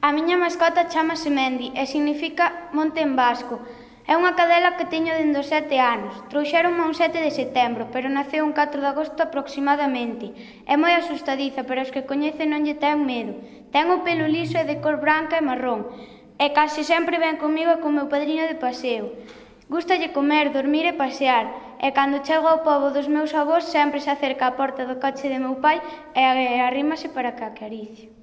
A miña mascota chámase Mendi e significa monte en vasco. É unha cadela que teño dende os 7 anos. Trouxéronme un 7 de setembro, pero naceu un 4 de agosto aproximadamente. É moi asustadiza, pero os que coñecen non lle ten medo. Ten o pelo liso e de cor branca e marrón. E case sempre ven comigo e co meu padriño de paseo. Gústalle comer, dormir e pasear. E cando chego ao pobo dos meus avós sempre se acerca á porta do coche de meu pai e arrímase para que a acaricie.